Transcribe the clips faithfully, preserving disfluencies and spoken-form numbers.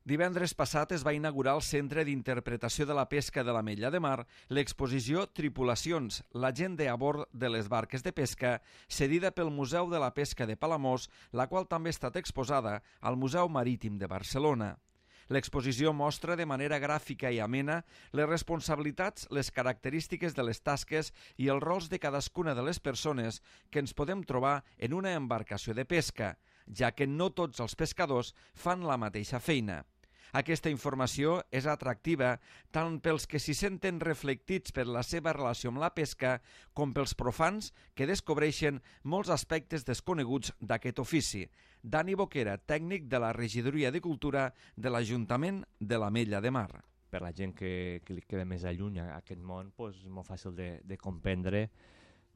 Divendres passat es va inaugurar al Centre d'Interpretació de la Pesca de l'Ametlla de Mar l'exposició Tripulacions, la gent a bord de les barques de pesca, cedida pel Museu de la Pesca de Palamós, la qual també ha estat exposada al Museu Marítim de Barcelona. L'exposició mostra de manera gràfica i amena les responsabilitats, les característiques de les tasques i els rols de cadascuna de les persones que ens podem trobar en una embarcació de pesca, ja que no tots els pescadors fan la mateixa feina. Aquesta informació és atractiva tant pels que s'hi senten reflectits per la seva relació amb la pesca com pels profans que descobreixen molts aspectes desconeguts d'aquest ofici. Dani Boquera, tècnic de la Regidoria de Cultura de l'Ajuntament de l'Ametlla de Mar. Per la gent que, que li queda més alluny a aquest món, doncs, és molt fàcil de, de comprendre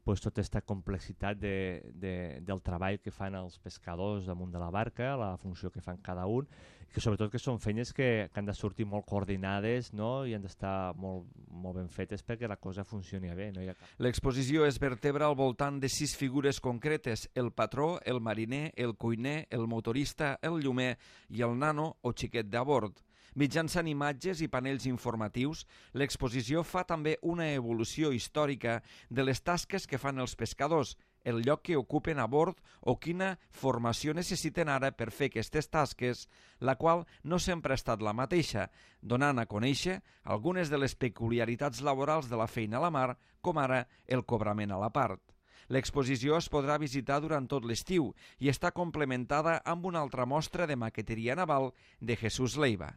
pues, tota aquesta complexitat de, de, del treball que fan els pescadors damunt de la barca, la funció que fan cada un, i que sobretot que són feines que, que han de sortir molt coordinades, no? I han d'estar molt, molt ben fetes perquè la cosa funcioni bé. No? Cap... L'exposició es vertebra al voltant de sis figures concretes: el patró, el mariner, el cuiner, el motorista, el llumer i el nano o xiquet de bord. Mitjançant imatges i panells informatius, l'exposició fa també una evolució històrica de les tasques que fan els pescadors, el lloc que ocupen a bord o quina formació necessiten ara per fer aquestes tasques, la qual no sempre ha estat la mateixa, donant a conèixer algunes de les peculiaritats laborals de la feina a la mar, com ara el cobrament a la part. L'exposició es podrà visitar durant tot l'estiu i està complementada amb una altra mostra de maqueteria naval de Jesús Leiva.